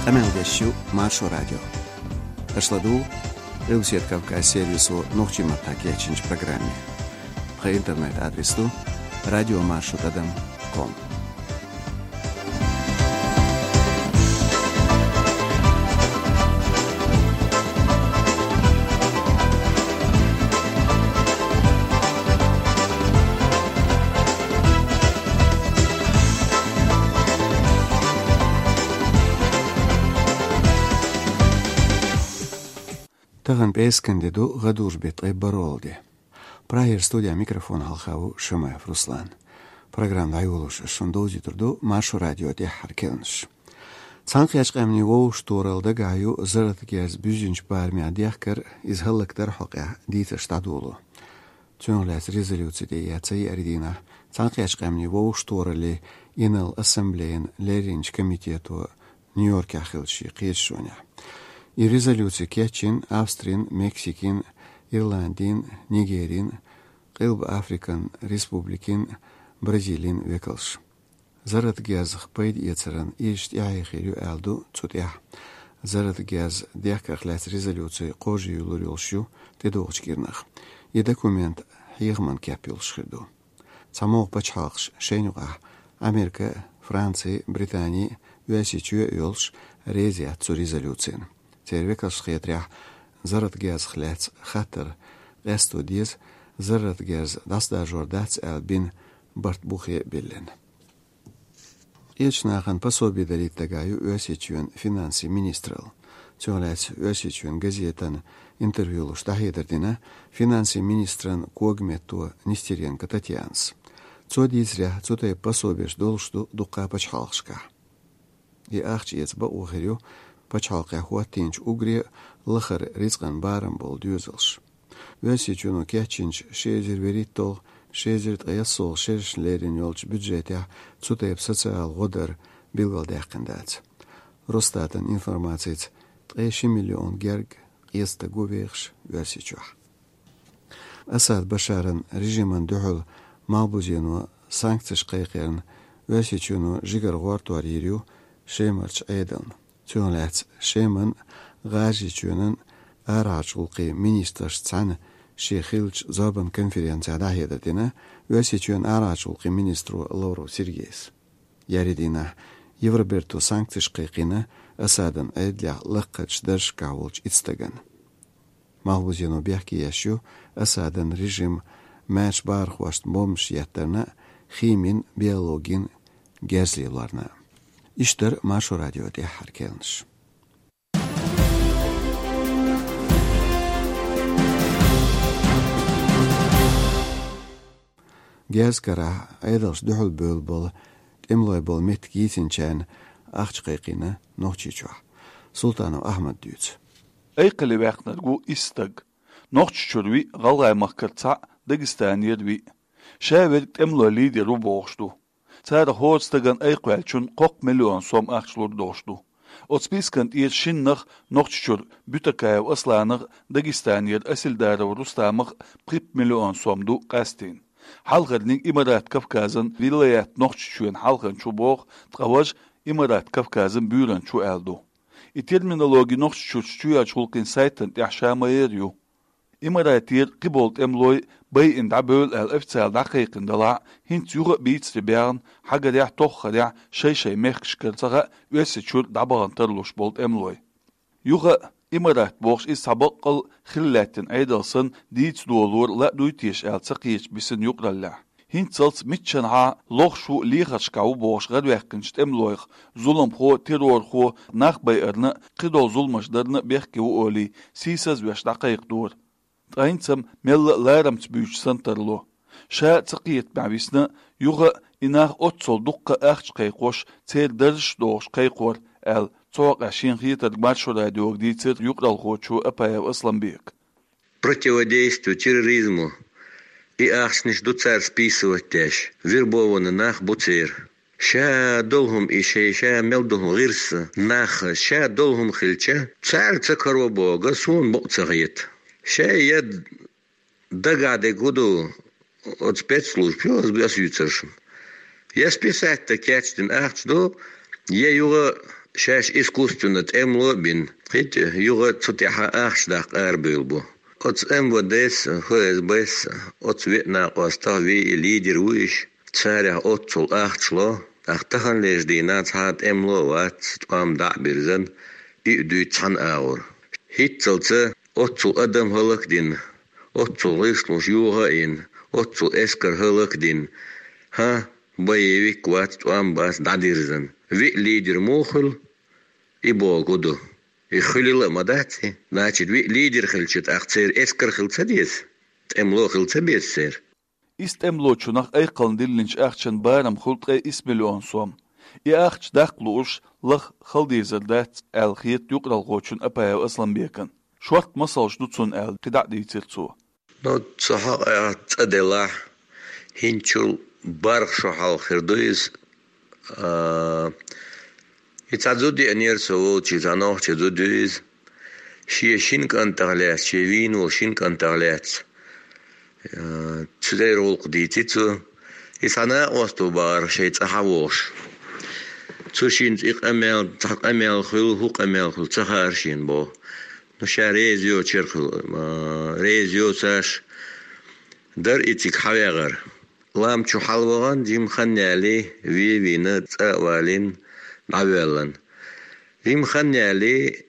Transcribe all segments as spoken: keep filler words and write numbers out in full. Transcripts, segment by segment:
Къамел деш ю Маршо радио. Аша ладугӀу Къилбаседа Кавказ сервисо нохчийн маттахь кечйинчу программе. Тхан интернет-адрес ду радиомаршо тӀадам ком. Тахана пӀераскан де ду, гӀадужу беттан ткъе бархӀ де. Прагера студин микрофон хьалха ву Шамаев Руслан. Программа дӀайолош ас шуна довзуьйтур ду Маршо радион тӀаьххьара керланаш. Цхьаьнакхеттачу Къаьмнийн Вовшахтохаралла дагахь ю зарратан герз буьззинчу барамехь дехкар, иза хӀаллакдар хьокъехь дийцарш дӀадоло. Цунах лаьцна резолюци тӀеэцна еарин дийнахь Цхьаьнакхеттачу Къаьмнийн Вовшахтохараллин инарла ассамблейн лерринчу комитето Нью-Йоркехь хиллачу шен кхеташонехь. И резолюци кечйина Австрин, Мексикин, Ирландин, Нигерин, Къилба Африкан Республикин, Бразилин векалш. Зарратан герзах пайда эцаран ирча тӀаьхье хир ю аьлла ду цу тӀехь. Зарратан герз дехкарх лаьцна резолюци кхожа юьйлур йолуш ю тӀедогӀучу кӀирнах. И документ хьехаман кеп йолуш хир ду. Цхьа могӀа пачхьалкхаш, шайна юкъахь Америка, Франци, Британи, Оьрсийчоь а йолуш, реза яц цу резолюцина. Церан векалшна хетарехь, зарратан герзах лаьцна хаттар къасто деза, зарратан герз дӀасадаржор дац аьлла бина барт бухе а биллина. Кхечу нахана пособи далийта дагахь ю Оьрсийчоьнан финансийн министралла. Цунах лаьцна Оьрсийчоьнан газетана интервью луш дӀахьедар дина финансийн министран когаметто Нестеренко Татьянас. Цо дийцарехь, цу тайпа пособеш долуш ду дуккха а пачхьалкхашкахь. И ахча эца бакъо хир ю пачхьалкхехь хӀоттийначу уггаре а лахара рицкъан барам болу доьзалш. Оьрсийчоьно кечйинчу ши эзар вуьрхӀитталгӀа, ши эзар ткъе ялсалгӀа шерашна лерина йолчу бюджетехь цу тайпа социалан гӀо дар билгалдаьккхина дац. Росстатан информацица, ткъе ши миллион герга къен стаг ву вехаш Оьрсийчохь. Асад Башаран режимана дуьхьал Малхбузено санкцеш кхайкхарна Оьрсийчоьно жигара гӀортор йийр ю Шемарчу Ӏедална. Цунах лаьцна Шеман, ГӀажарийчоьнан арахьарчу гӀуллакхийн министрашца цхьаьна шен хиллачу зорбан конференцехь дӀахьедар дина Оьрсийчоьнан арахьарчу гӀуллакхийн министро Лавров Сергейс. Еарин дийнахь Евробарто санкцеш кхайкхийна Асадан Ӏедалехь лакхарчу даржашкахь волчу итт стагана. Малхбузено бехке еш ю Асадан режим маьрша бахархошна бомбаш еттарна а, химин, биологин герз лелорна а. Иштта дара Маршо радион тӀаьххьара керланаш. Герзан карахь Ӏедалша дуьхьал бевлла болу тӀемалой болу меттиг йийцинчарна ахча кхайкхийна Нохчийчохь. Султанов Ахьмада дуьйцу. Айкхале ваьккхинарг ву исс стаг. Нохчийчуьра виъ, ГӀалгӀай-Махкара цхьаъ, Дагестанера виъ. Ша верг тӀемалойн лидер ву бохуш ду. Цара хӀора стагана айкхваьллачунна кхоккха миллион сом ахча лур долуш ду. Оцу спискан тӀера шиннах, Нохчийчуьра Бютакаев Асланах, Дагестанера Асильдаров Рустамах, пхи миллион сом ду къастийна. Хьалхарниг Имарат Кавказан вилаят Нохчийчоьнан хьалханча ву боху, ткъа важа Имарат Кавказан буьйранча ву аьлла ду. И терминологи Нохчийчуьрчу чоьхьарчу гӀуллакхийн сайтана тӀехь ша ма-ярра ю. Имаратера кхиболу тӀемалой байина дӀабевлла аьлла официально дӀакхайкхина делахь а, хӀинца юха а бийцаре баьхна, хьагарехь, тоххарехь шай-шайн мехкашкара ца хаьа Оьрсийчуьра дӀабахана тарлуш болу тӀемалой. Юха а Имарат бохуш иза цхьа баккъал а хилла лаьттина Ӏедал санна дийца долора ла а дуй теша аьлла ца кхеташ бисина юкъараллехь. ХӀинццалц миччанхьа лохуш ву, лехаршкахь ву бохуш гӀараваьккхинчу тӀемалойх зуламхо, террорхо, нах байарна а, кхидолу зуламаш дарна а бехке ву олий, сийсазвеш дӀакхайкхадора. Ткъа хӀинца-м мелла а ларамца буьйцуш санна тарло. Ша а ца кхетамехь висна, юха а и нах оццул дуккха а ахча кхайкхош, церан даржаш а дохуш кхайкхор, аьлла, цу хьокъехь шен хетарг Маршо радиога дийцира юкъаралхочо Апаев Асламбека. Противодействие терроризму и ахчанаш ду цара списывать деш, вербованный нах бу церан. Ша долу хӀума и шайн ша мел долу хӀума гӀирс нах ша долу хӀума хилча, цара ца каро боху, суна бакъ ца хета. Шайн я дагахь дерг хӀун ду, оцу спецслужбаш, ас юьйцур шуна. Я списать дан кечдина ахча ду, я юха Шаьш искусственно тӀемло а бина, кхетий, юха цу тӀехьа ахча даккха арабевлла бу. Оцу М В Д-с, Ф С Б-с, оцу виъ накъостах виъ лидер ву иш, царех оццул ахча ло, тӀаккха таханлерчу дийнахь цхьа а тӀемло а вац, тӀом дӀа а бирзина, и а дуьйцу цхьана агӀор. ХӀинццалц оццул адам хӀаллакдина, оццул гӀишлош юха а йина, оццул эскар хӀаллакдина, хӀан, боевик вац, тӀом бац, дӀадирзина. Виъ лидер муха хуьлу? И бохург ду. И хуьлийла а ма дац и. Значит, виъ лидер хилча, тӀаккха церан эскар хила ца деза? ТӀемло хила ца беза церан? Ис тӀемлочунах айккхална диллинчу ахчан барам хуьлу ткъе исс миллион сом. И ахча даккха лууш лаха хала дезар дац, аьлла хета юкъаралхочунна Апаев Асламбекана. Шортта масалш ду цунна аьлла, кхидӀа а дийцира цо. Ну, цу хьокъехь цӀа делахь, хӀинцачул бархӀ шо хьалха хир ду иза. А, и цхьа зуда еанера со волчу, цхьа нохчи зуда ю иза. Шен шина кӀантах лаьцна, шен вийна волу шина кӀантах лаьцна. А, цу тӀера гӀуллакх дийци цо. И цхьа накъост ву бахара шайн цӀа хьан вогӀуш. Цу шинца и къамел, цхьа къамел хуьлу, хӀун къамел хуьлу, ца хаьара шена боху. Ну, ша реза йоцуш яра хуьлу, а, реза йоцуш дара и цига хьан вегӀар. Лам чу хьалавахана, жимма хан ялий, вен а вийна, цӀа а валийна, дӀавоьллина. Жимма хан ялий,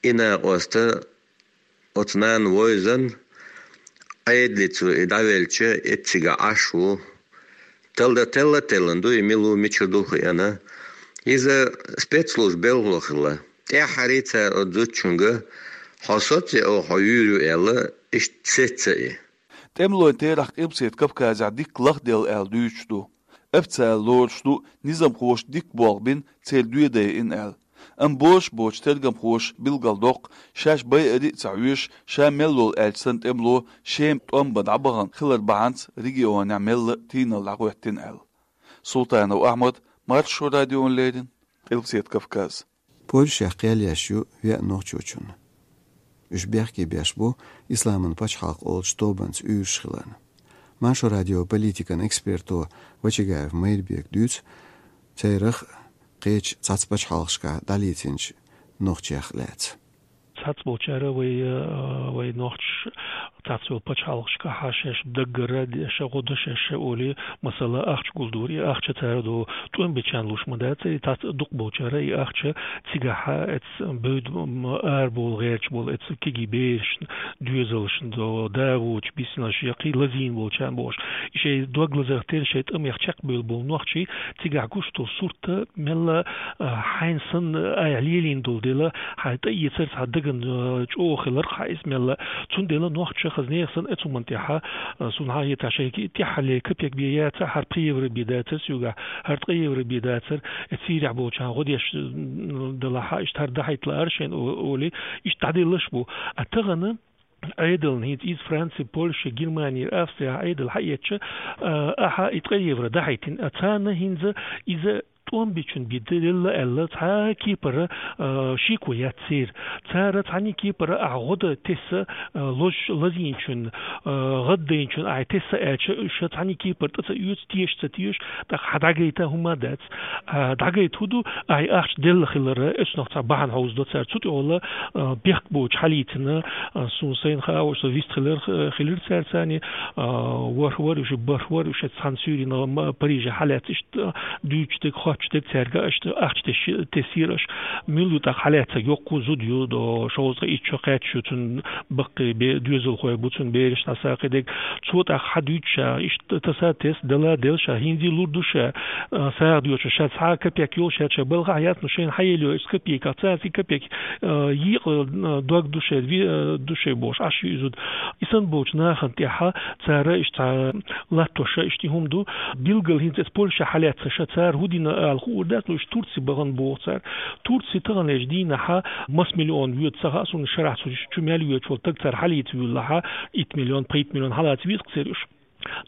и накъоста оцу нана вевзина, Ӏедале цо и дӀавелча, эццигахь Ӏаш ву. Талла, телла а теллина ду, и мила ву, мичара ду хиъна. Иза спецслужба белхало хилла. ТӀаьххьара цара оцу зудчуьнга: «Хьо соций оха, хьо вуьйр ю», — аьлла, иштта сецна и. ТӀемалойн терахь Къилбаседа Кавказехь дикка лахделла аьлла дуьйцуш ду. Официалан лоруш ду, низамхоша дикка болх бина, церан доьзал дайина аьлла. Амма бозуш боцу тергамхоша билгалдоккху, шаьш байаре а ца хьоьжуш, ша мел волу аьлча санна тӀемало Шема тӀом бан дӀабахана хилар бахьанца регионехь мелла а тийналла дӀахӀоьттина аьлла. Султанов Ахьмад, Маршо радиона леррина, Къилбаседа Кавказ. Польшехь кхел еш ю веа нохчочунна. Уьш бехке беш бу Исламан пачхьалкх олучу тобанца уьйраш хиларна. Маршо радион политикан эксперто Вачагаев Майрбека дуьйцу церах кхечу цхьацца пачхьалкхашкахь дӀалецначу нохчех лаьцна. Цхьацца болчара вай, а, вай нохчаша цхьацца йолу пачхьалкхашкахь шаьш даггара де-, ша гӀо до шаьш ша олий, масала, ахча гулдора, и ахча цара до тӀом бечарна луш ма дац, и цхьацца дукха болчара и ахча цигахь эц бевда, м, арабовла гӀерташ болу эц кегий берашна, доьзалшна до, да воцуш, бисиналш я кхин лазийна болчарна бохуш. И шайн дог лазарх терра шайн тӀамех чекхбевлла болу нохчий цигахь гуш долу сурт мелла, а, хьайна санна айхьа лелийна долу дела, хьайн тӀаэцар цхьа дагана, а, чӀогӀа хиларх хьан иза мелла. Цундела нохчаша хаза нехан санна эцу хӀуманна тӀехь, а, суна хьан хетахь шайга тӀаьххьарлера капек бен яцара, хӀара пхи евро бен дацара соьгахь, хӀара ткъа евро бен дацара, э, церехь болчарна гӀо деш, м, далахь, иштта хӀара дӀахьайта лаара шайна о-, олий, иштта дӀаделлаш бу. А тахана Ӏедална хӀинца иза Франци, Польша, Германера, Австрияхь Ӏедал хьаэцча, а, ахьа и ткъа евро дӀахьийтина. А царна хӀинца иза тӀом бичун би делла аьлла, цхьа кепара, а, шеко яц церан. Цара цхьаьна кепара ахьа гӀо дан тесса, а, лозуш лазийначун, а, гӀаддайначун ахьа тесса аьлча, уьш цхьаьна кепара тӀе ца оьцу, теша ца теша, тӀаккха хьан дӀагайта хӀума дац. А, дӀагайта хӀун ду, ахьа ахча делла хилара, эцунах цхьа бахьана хьовзадо цара. Цу тӀехула, а, бехк боцуш хьалийцина, а, суна сайна хаавар, со вист хилар, а, хилира цаьрца, а, ворхӀ вара уьш, бархӀ вара уьш, цхьана суьйрина ма-, Париже хьалаьцна иштта, а, дуьйцуш дерг, хоттуш дерг цаьрга иштта ахча теш-, тесира аша. Мила ю тӀаккха хьалаьцнарг, йоккха зуда ю, до, шовзткъе итт шо кхаьчна ю цуьнан, баккхий бе-, доьзалхой бу цуьнан, бераш дӀасакхидерг. Цо тӀаккха хьан дуьйцу ша, иштта таса тесна, дала дела ша, хӀинца лур ду ша, а, сагӀа доьшу ша, цхьа а капек йолуш яц ша, балхахь яц, ну шайна хьан елла йо, ишта капеках, цхьацца капек, а, йийкъа, а, дог ду шайн, ви-, а, ду шайн бохуш, Ӏаш ю и зуда. И санна болчу нахана тӀехьа цара иштта цхьа латтош ша, иштта и хӀума ду. Билггал хӀинца эцу Польша хьалаьцна ша, цара хӀун дина ала хуур дац, ну иштта Турци бахана боху цара. Турци таханлерчу дийнахьа масса миллион воьду ца хаьа суна, шарахь цу чу мел воьдуш волу стаг цара хьалийца вуьллахьа, итт миллион, пхийтта миллион хьалаца веза-кх церан уьш.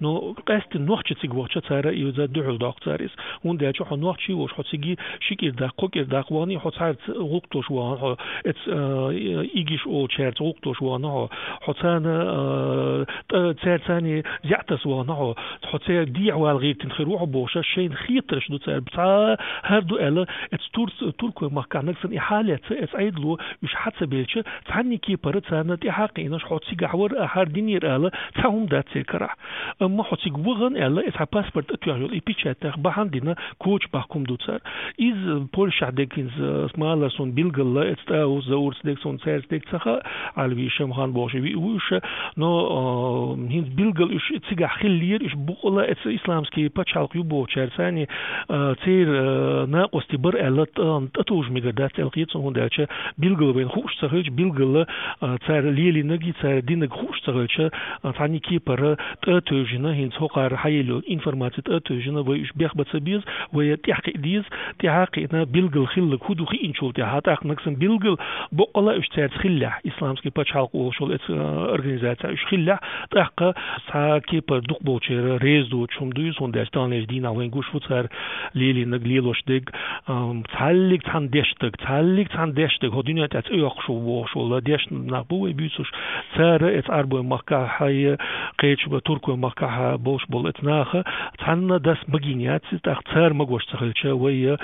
Но къаьстина нохчий цига вахча цара, и за дуьхьал доккху цара иза. ХӀунда аьлча хьо нохчий волуш, хьо цига ши кӀира даккха, кхо кӀира даккха вахана, хьо цхьаьрца гӀуллакх долуш вахана, хьо эц, а, игиш олучаьрца гӀуллакх долуш вахана хьо, хьо царна, а, тӀа-, цаьрца царний зеӀ таса вахана хьо, хьо церан дехьавала гӀиртина хир ву хьо бохуша, шайна хетарш ду цара. Цхьа хӀара ду аьлла, эц турц-, туркой махкахь нагахь санна и хьалаьцна, эц Ӏедало уьш хьа ца белча, цхьанний кепара царна тӀаьхьа кхиънаш, хьо цигахь вара, а хӀара динера ала, цхьа хӀума дац церан карахь. Амма хьо цига вахана аьлла, эц хьан паспорт тӀатоьхна йолу и печатьнах бахьана дина, коча баккха хӀума ду цара. Иза Польшахь дерг хӀинца, э, малар суна билггала, эц тӀа а ву, Заурца дерг суна, цаьрца дерг ца хаьа, Ӏалви Шамхан бохуш виъ ву уьш, но, э, хӀинца билггала уьш цигахь хиллера, уьш букъала эц исламский пачхьалкх ю бохучаьрца, царний, э, церан, э, накъостий бара аьлла, тӀа-, тӀатовжа мегар дац аьлла хета суна, хӀунда аьлча билггала вайна хууш ца хилча, билггала, э, цара лелийнарг, цара динарг хууш ца хилча, э, цхьанний кепара тӀа а тевжина, хӀинца хӀокхара хьаелла йолу информаци тӀа а тевжина, вай уьш бехбан ца беза, вай тӀаьхьакхиа деза, тӀаьхьакхиъна билггала хилларг хӀун ду хиъначул тӀаьхьа, тӀаккха нагахь санна билггала боккъала уьш цаьрца хиллехь, исламский пачхьалкх олуш йолу эц, э, организацехь уьш хиллехь, тӀаккха цхьа кепара дукхахболчеран реза доцуш хӀума ду иза, хӀунда аьлча таханлерчу дийнахь вайна гуш ву цара лелийнарг, лелош дерг, ам, цхьаллиг цхьана дешна дерг, цхьаллиг цхьана дешна дерг, хӀокху дуьнен тӀехь цӀе йоккхуш ву бохуш волу дешна нах бу вай буьйцуш, цара эц Ӏарбойн махкахь а, кхечу туркойн махкахь а болуш болу эц наха цхьанна дас магийна яц иза, тӀаккха цара магош ца хилча, вай, э,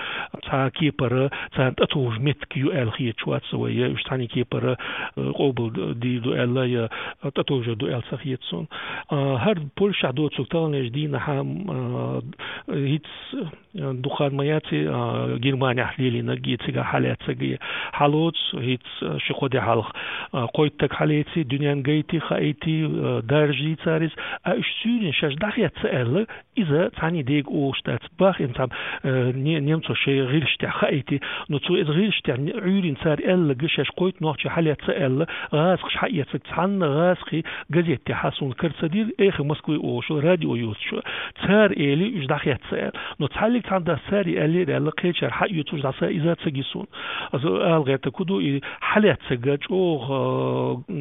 цхьа кепара царна тӀатовжа меттиг ю аьлла хеташ вац вай, э, уьш цхьанний кепара, э, къобал дийр ду аьлла, я тӀатовжар ду аьлла ца хета суна. А, хӀара Польшахь доцург таханлерчу дийнахь, м, а, хӀинца, э, дукха хан ма яций, а, Германехь лелийнарг, цигахь хьалаьцнарг, хьалоцу, хӀинца, э, ши-кхо де хьалха, а, кхойттаг хьалеъций, дуьненна гайти, хаийти, э, даржий цара иза, а уьш суьйрина шаьш дӀахецна аьлла, иза цхьанний дега олуш дац. Бах, ин цхьа, э, не-, немцо шайн гӀирсаш тӀехь хаийти, но цо иза гӀирсаш тӀехь не-, Ӏуьйрина цара аьлларг шаьш кхойтта нохчий хьалаьцна аьлла, гӀазакхаш хьаэцнарг цхьанна гӀазакхи газет тӀехь суна кара ца дира, «Эхо Москвы» олуш радио йоцуш. Цара эли уьш дӀахецна аьлла. Но цхьаллиг цхьана дас цара аьллера аьлла, кхечара хьаоьцуш дӀаса иза ца ги суна. Аса ала гӀертарг хӀун ду, и хьалаьцнарг чӀогӀа, э,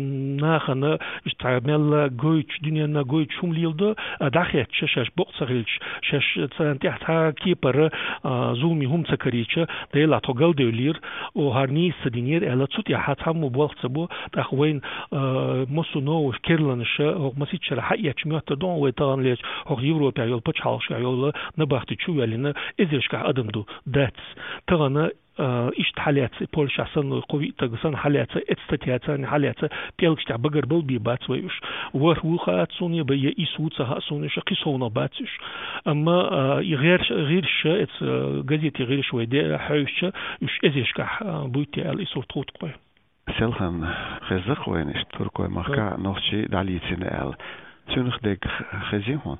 нахана, иштта мелла гойтуш, дуьненна гойтуш хӀума леладо, а дӀахецча, шаьш бокъ ца хилча, шаьш царна тӀехь цхьа кепара, а, зуламе хӀума ца карийча, Делахь тхо галдевллера, о, хӀара нийса ца динера аьлла, цу тӀехь цхьаммо болх ца бо, тӀаккха вайна, а, массо а новаш, керланаш, хӀокху масийтта шарахь хьаэцча моьттур ду хьуна вай таханлерчу хӀокху Европехь йолу пачхьалкхашкахь йолу набахти чу а ваьллина, эзаршкахь адам ду, дац. Тахана а, иштта хьалаьцна, Польшахь санна, кхо-виъ таг санна хьалаьцна, эцна статья царна хьалаьцна, пӀелгаш тӀехь багарбала бен бац вай уьш. ВорхӀ ву хаац суна, я исс ву ца хаьа суна уьш, кхин совнаха бац уьш. Амма, а, и гӀирс-, гӀирсаш, эца, а, газетийн гӀирсаш вай де хьаьвсича, уьш эзаршкахь, а, буьйцу аьлла и сурт хӀутту-кх вай. Селхан, хеза-кх вайна иштта туркойн махкахь нохчий дӀалецна аьлла. Цуьнах дерг хезий хьуна?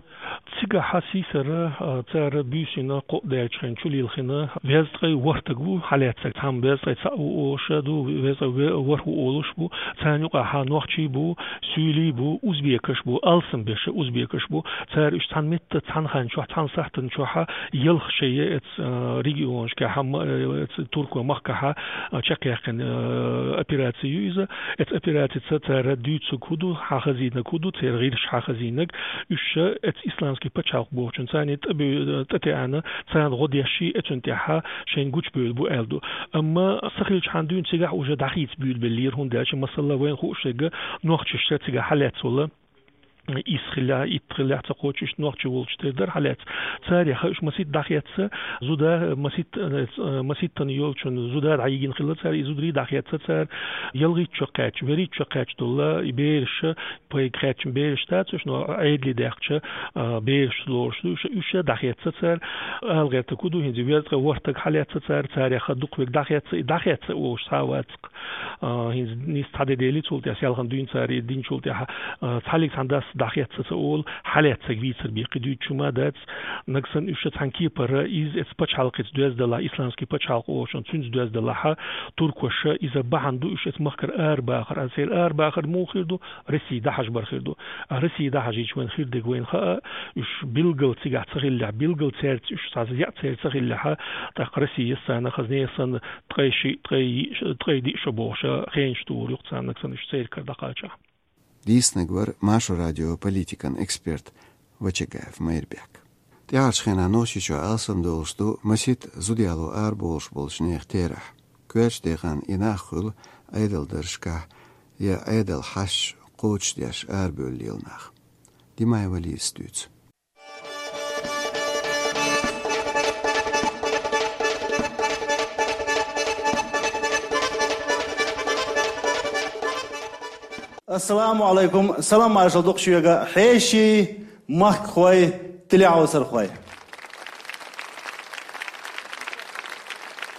Цигахь сийсара, а, цара буьйсина, кхоъ даьллачу хенахь чулилхина, везткъе ворхӀ таг ву хьалаьцнарг, цхьамма везткъе цхьаъ ву олуш ду, везткъе ве-, ворхӀ ву олуш бу, царна юкъахь нохчий бу, суьйлий бу, узбекаш бу, алсамберш узбекаш бу, цара уьш цхьана метта, цхьана хан чохь, цхьана сахьтан чохь ялх шайн эц, а, регионашкахь, ма-, э, эц туркойн махкахь, а, чекхъяьккхина, э, операци ю иза. Эц операцица цара дуьйцург хӀун ду, хьахазийнарг хӀун ду, церан гӀирсаша хьахазийнарг, уьш эц исламский пачхьалкх бохучун царна тӀе бу-, тӀетеана, царна гӀо деш, эцун тӀехь шайна гучубевлла бу аьлла ду. Амма са хилчахьана дуьйна цигахь уже дӀахийца буьйлабеллера, хӀунда аьлча, масала, вайна хууш дерг, нохчашца цигахь хьалаьцна волу, исс хиллехь, итт хиллехь, ца кхочуш нохчий волчу тера дара хьалаьцна. Царех уьш масийтта дӀахецна, зуда масийтта, э, масийттана йолчун зуда дӀайигина хилла цара, и зударий дӀахецна цара, ялхитта чу кхаьчча, верхӀитта чу кхаьчча долу, и бераш, пайга кхаьчна бераш дац уьш, но Ӏедале даьккхича, а, бераш лоруш ду, уьш, уьш дӀахецна цара. Ала гӀертарг хӀун ду, хӀинца везткъе ворхӀ таг хьалаьцна цара, царех дукха верг дӀахецна, и дӀахецна олуш цхьа а вац-кх. А, хӀинца нийса цхьа де делли цул тӀаьхьа, селхан дуьйна цара и динчул тӀаьхьа, а, цхьаллиг цхьана дас дӀахецна ца олу, хьалаьцнарг вийцар бен кхин дуьйцуш хӀума дац. Нагахь санна уьш цхьана кепара, иза эца пачхьалкхаца доьзна далахь, исламский пачхьалкх олучун цуьнца доьзна далахь, туркоша иза бахьана ду уьш эца махкара арабахар, а церан арабахар муха хир ду, Россия дӀахьажбар хир ду. А Россия дӀахьажийча вайн хир дерг вайна хаьа, уьш билггал цигахь ца хиллехь, билггал цаьрца уьш цхьа зеӀ церан ца хиллехь, тӀаккха Россия санна, хазне санна, ткъе шиъ, ткъе йиъ, ткъе диъ шо бохуш, хенаш тухур ю-кх царна, нагахь санна уьш церан кара дӀакхачахь. Дийцинарг вара Маршо радион политикан эксперт Вачагаев Майрбек. ТӀаьхьарчу хенахь Нохчийчохь алсамдолуш ду масийтта зуда яло арабовлуш болчу нехан терахь. Коьртачу декъана и нах хуьлу Ӏедалан даржашкахь я Ӏедалан хьашташ кхочушдеш арабевлла лела нах. Димаева Лизас дуьйцу. Ассаламу алайкум, салам маршалла ду-кх шуьга, хьеший, махкахой, телехьовсархой.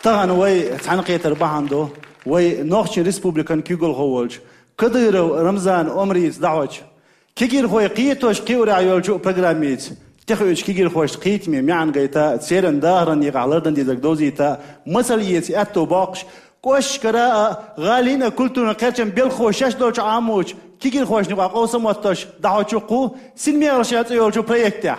Тахана вай цхьаьнакхетар бахьана ду вай Нохчийн Республикан куьйгалхо волчу Кадыров Рамзан Омрица дӀахьочу, кегирхой кхетош кхиорехь йолчу программица тӀехуьучу кегирхошна кхетаме маьӀна гайта, церан дахаран некъахь лардан дезарг довзийта, масал эца аьтто боккхуш, кӀошташкара а, гӀалин а культуран кхерчан белхахо шаьш долчу Ӏамочу кегирхошна юкъахь къовсам оттош дӀахьочу кху «Синмехаллаш» цӀе йолчу проектехь.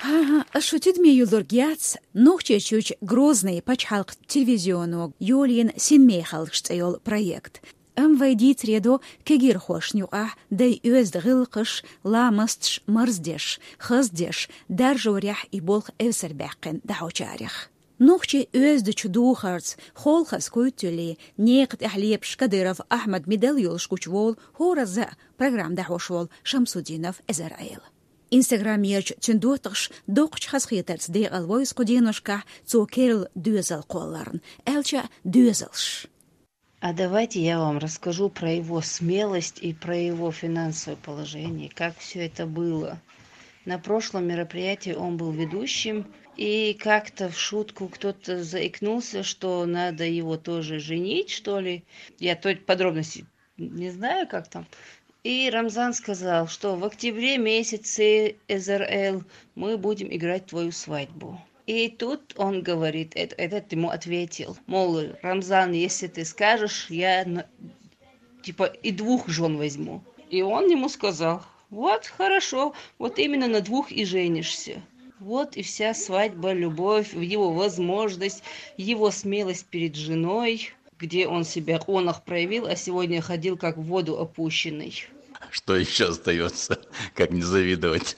ХӀан-хӀа, ас шу тидаме юьллург яц, Нохчийчуьрчу Грозный пачхьалкхан телевизионо йолийна «Синмехаллаш» цӀе йолу проект. Амма вай дийцаре до кегирхошна юкъахь дай оьзда гӀиллакхаш, ламасташ марздеш, хаздеш, даржорехь и болх эвсарбаьккхина дӀахьочарех. Нохчийн оьздачу духарца, холхаза куьйтталлий, некха тӀехь лепаш Кадыров Ахьмад медал йолуш гучуволу хӀоразза а программа дӀахьош волу Шамсуддинов Эзар-Ӏела. Инстаграмерчу цуьнан доттагӀаша доккхачу хазахетарца декъала войза кху деношкахь цо керла доьзал кхолларна, аьлча а доьзалш. А давайте я вам расскажу про его смелость и про его финансовое положение, как все это было. На прошлом мероприятии он был ведущим, и как-то в шутку кто-то заикнулся, что надо его тоже женить, что ли. Я то подробности не знаю, как там. И Рамзан сказал, что в октябре месяце, Эзар-Эл, мы будем играть твою свадьбу. И тут он говорит, эт- этот ему ответил, мол, Рамзан, если ты скажешь, я на- типа и двух жен возьму. И он ему сказал: «Вот, хорошо, вот именно на двух и женишься». Вот и вся свадьба, любовь, его возможность, его смелость перед женой, где он себя в онах проявил, а сегодня ходил как в воду опущенный. Что ещё остаётся, как не завидовать?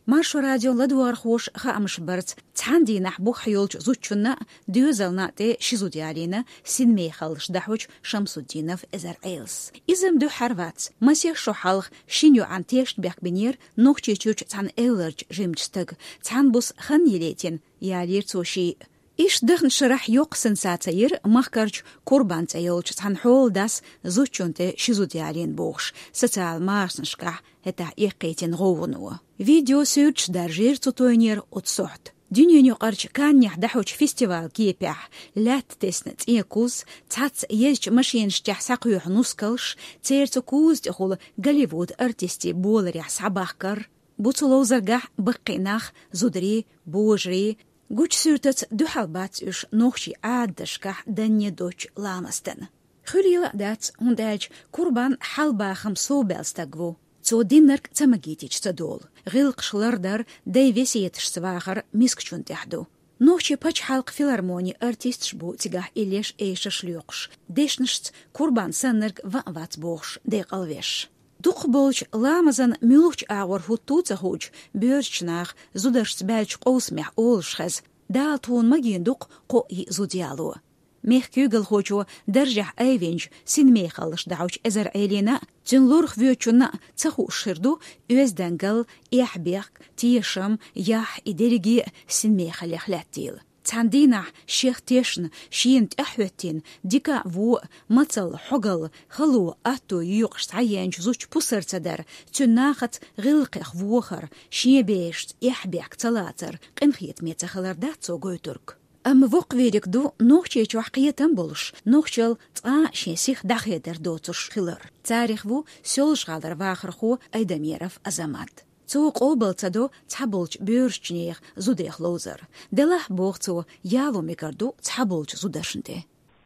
Маршо радион ладогӀархоша хаамаш барца, цхьана дийнахь бухахь йолчу зудчунна а, доьзална а тӀе ши зуда ялийна «Синмехаллаш» дӀахьочу Шамсуддинов Эзар-Ӏелас. Иза-м дуьххьара вац, масех шо хьалха шина йоӀана тешнабехк бинера Нохчийчуьрчу цхьана эвларчу жимачу стага, цхьана буса хан йилийтина, ялийра цо шиъ. Иштта даханчу шарахь йоккха сенсаци йира махкарчу Курбан цӀе йолчу цхьана хьоладас зудчунна тӀе ши зуда ялийна бохуш, социал машанашкахь хӀетахь эккхийтина гӀовгӀано. Видео суьрташ даржийра цу тойнера оцу сохьта. Дуьненаюкъарчу Каннехь дӀахьочу фестивалан кепехь, лаьтта тесна цӀен куз, цхьацца езачу машинаш тӀехь схьакхоьхьу нускалш, церан цу куза тӀехула Голливуд артистийн боларехь схьабахкар. Бу цу ловзаргахь баккхий нах, зударий, божарий. Гучу суьртаца дуьхьал бац уьш нохчийн Ӏадаташкахь данне доцчу ламастан. Хуьлийла а дац, хӀунда аьлча Курбан хьалабахам совбаьлла стаг ву. Цо диннарг ца магийтича ца долу. ГӀиллакхаш лардар, дай весеташца вахар мискачунна тӀехь ду. Нохчийн пачхьалкхан филармонин артисташ бу цигахь иллеш, эшарш лоькхуш. Дешнашца Курбан саннарг ван а вац бохуш, декъалвеш. Дукхахболчу ламазан муьлхачу агӀор хӀутту а ца хуучу боьрзачу наха зударшца баьллачу къовсамехь олуш хеза: «Дала тхуна магийна ду-кх кхоъ-йиъ зуда яло». Мехкан куьйгалхочо даржехь айвинчу «Синмехаллаш» дӀахьочу Эзар-Ӏелина а, цуьнан лорах воьдучунна а ца хууш хир ду оьздангалла, эхь-бехк, тешам, яхь, и дерриге а синмехаллех лаьттийла. Цхьана дийнахь шех тешна, шена тӀаьхьахӀоьттина, дика а, вон а, мацалла, хьогалла, хало, атто йоькъуш схьаеанчу зудчун пусар ца дар, цуьнан нахаца гӀиллакхех вохар, шен берашца эхь-бехк ца лацар къинхетаме ца хилар дац цо гойтург. Амма воккхавийриг ду Нохчийчохь кхетам болуш, нохчалла цкъа а шен сиха дӀахедар доцуш хилар. Царех ву Соьлжа-ГӀалара вахархо Айдамиров Азамат. Цо къобал ца до цхьаболчу боьрзачу нехан зудех ловзар. Делахь, боху цо, яло мегар ду цхьаболчу зударшна тӀе.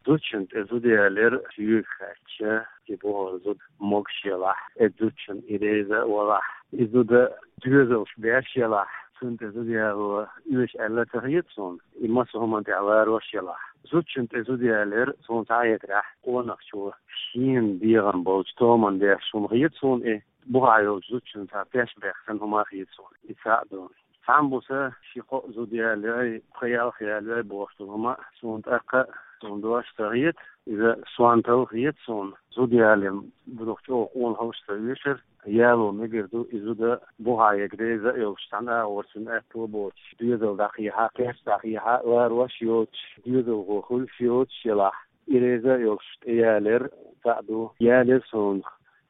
Зудчунна тӀе зуда ялар соьга хаьттича, и боху зуда могуш ялахь, и зудчунна и реза а валахь, и зуда доьзалш беш ялахь, цунна тӀе зуда яло оьшу аьлла ца хета суна. И массо а хӀуманна тӀехь ларош ялахь. Зудчунна тӀе зуда ялар суна схьахетарехь, къонахчо шена бегӀам болчу томан беш хӀума хета суна и. Бухахь йолчу зудчун цхьа пеш бехсан хӀума хета суна. И цхьаъ ду. Цхьамма буса ши-кхоъ зуда яьллай, пхи-ялх яьллай бохуш долу хӀума а суна тӀаккха а, суна дош ца хета. Иза сонталла хета суна. Зуда ялийна, бу дукха чӀогӀа къонахаллаш ца оьшура. Яло мегар ду, и зуда бухахь ерг реза а йолуш, цхьана агӀор цуьнан аьтто боцуш, доьзал дӀакхехьа, кхерч дӀакхехьа, ларош йоцуш, доьзалхо хуьлуш йоцуш елахь, и реза а йолуш тӀеялар цхьаъ ду. Ялар суна,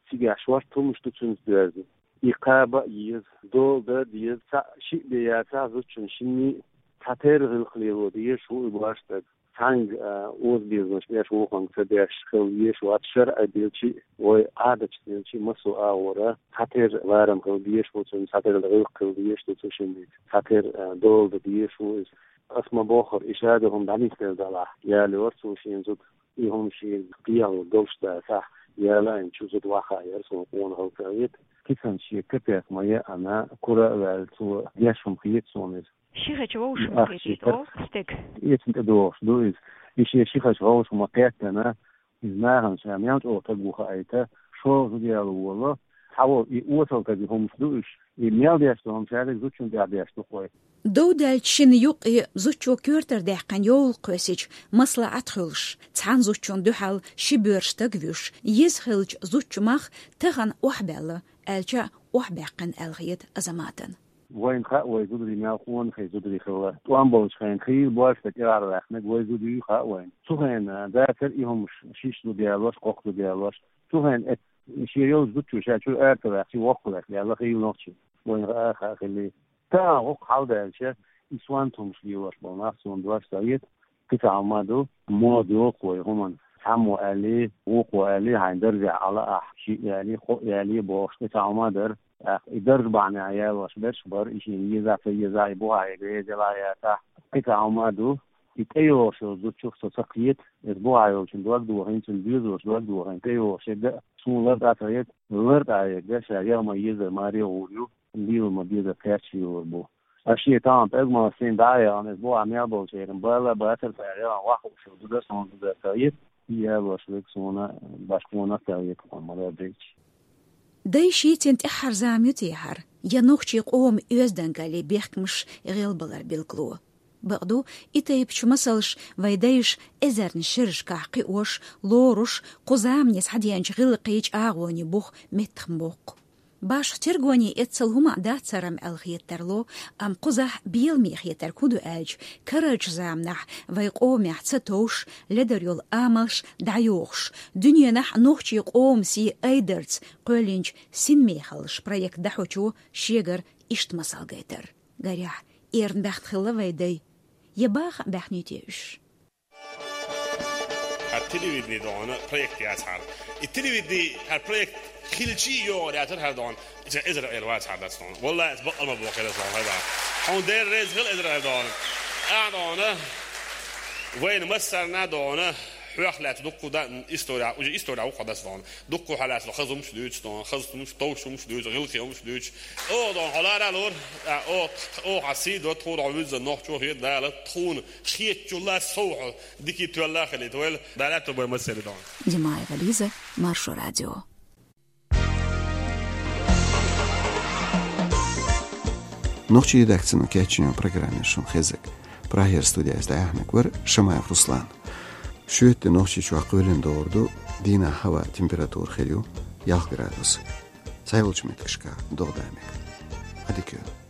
цигахь шорта хӀумаш ду цуьнца доьзна. И кхаба а еза, дола дан а деза, цхьаъ шиъ бен яцахь, зудчун шинний а цхьатерра гӀиллакх лело дезаш ву и божарстаг. Цхьаьнга, а, озабезамаш беш, вукхунга ца беш хила везаш вац, шарӀан белчи а, вай Ӏадаташ белчи а, массо а агӀора цхьатерра ларам хила дезаш ву цуьнан, цхьатерра гӀиллакх хила дезаш ду цу шиннан, цхьатерра, а, дола дан дезаш ву иза. Ас ма-боххура, и шадерг хӀума дӀанисделла делахь, ялайора цо шен зуда. И хӀума шена кхехьа долуш дацахь, ялайначу зуда вахайора, суна къонахалла ца хета. Кисана шен капек ма яьхьана, кура а ваьлла, цо деш хӀума хета суна иза. Ши хечу вовшах ма хетийта, олу стеган. Эцна тӀедогӀуш ду иза. И шен ши хечу вовшах ма кхеттана, иза нахана ша мел чӀогӀа стаг ву хаийта, шолгӀа зуда яла волу, цхьаволу и осал стеган хӀумаш ду уьш, и мел деш долу хӀума шадерг зудчунна тӀехь деш ду-кх вай. Дов даьллачу шинна юккъе зудчо коьртара даьккхина йовлакх кхоьссича, маслаӀат хуьлуш, цхьана зудчунна дуьхьал ши боьрша стаг вуьйш, еза хиллачу зудчун мах тахана охьабаьлла, аьлча а охьабаьккхина аьлла хета Азаматана. Вайна хаьа вай зударий мел къонахий зударий хилла. ТӀом болчу хенахь хийла божарстаг тӀехьа ваьккхинарг вай зуда юй хаьа вайна. Цу хенахь дацара и хӀумаш, шишша зуда ялош, кхоккха зуда ялош. Цу хенахь эцна шен йолчу зудчо ша чуьра ара ца ваьккхича, воккхаваьлла хийла нохчи. Вайна хаьа, хаьа хилла. Тахана гӀуллакх хьалдаьлча, и сонта хӀумаш лелош болу нах, суна дош ца хета, кхин цхьа хӀума ду, мода йоккху вай хӀуманна. Цхьаммо аьллий, вукхо аьллий, хьайн даржехь Ӏа лаахь, шиъ ялий, кхоъ ялий бохуш, кхин цхьа хӀума дара. ТӀаккха и дарж бахьанехь ялош берш а бара, и шена еза а, ца еза а, и бухахь ерг реза елахь а яцахь, кхин цхьа хӀума ду, и тӀейогӀуш йолу зудчух со ца кхета, иза бухахь йолчун дог дохийна, цуьнан доьзалшна дог дохийна, тӀейогӀуш ерг а суна лартӀахь ца хета, лартӀахь ерг а ша яха ма-еззара маре гӀур ю. Лела ма-деззара кхерч лелор бу. Ас шен тахана пӀелг массийна дӀа а яхана, иза бухахь мел болчеран бала а бацара, цара яхана ваххуш йолу зуда а суна зуда ца хета, и ялош верг суна башха къонах ца хета, хьуна ма-дарра дийцича. Дай шийцина тӀаьххьара зама ю те хӀара, я нохчийн къоман оьздангаллин бехкамаш гӀелбалар билгало? Бакъду, и тайпачу масалш вайн дайша эзарнийн шерашкахь кхиош, лоруш, кху замане схьадеанчу гӀиллакхийн чӀагӀонийн бух меттах ма боккху. Башха тергоне эццал хӀума а дац хӀара-м аьлла хета тарло, амма кхузахь беламе хетарг хӀун ду аьлча, карарчу заманахь вайн къомехь ца товш, ледара йолу амалш дӀайохуш, дуьненахь нохчийн къоман сий айдарца кхоьллинчу «Синмехаллаш» проект дӀахьочо шегара иштта масал гайтар. Гарехь, эрна баьхна хилла вайн дай, я баха а баьхнийти уьш? ХӀара телевидение догӀана проект яц хӀара. И телевидение хӀара проект хилчий а йогӀур яцара хӀара догӀана. Иза эзар а эр вац хӀара дац догӀана. Валлахь, иза бакъал ма боху хӀара догӀана. Хьуна Дела реза хила эзар а хӀара догӀана. Ахьа догӀана. Вайна массарна а догӀана. Хьох лаьцна дуккха да-, история, уже история ву хьо дац догӀана. Дуккха хьалаьцна хаза хӀумаш дуьйцу догӀана, хаза хӀумаш, товш хӀумаш дуьйцу, гӀиллакхе хӀумаш дуьйцу. Оха догӀана хьо лара а лора, а, оха, оха хьан сий до, тхуна хьо вуьзза нохчо хета Дала, тхуна хетачул а сов хьо дика тоьлла а хилийта вайла, Дала аьтту бойла массеран догӀана. Димаева Лиза, Маршо радио. Нохчийн редакцино кечйина программа шуна хезира. Прагера студехь дӀаяьхьнарг вара Шамаев Руслан. Шоьтан де Нохчийчохь кхоьлина догӀур ду, дийнахь хӀаваан температура хир ю ялх градус. Цхьайолчу меттигашкахь догӀа дан мега. Ӏадика йойла.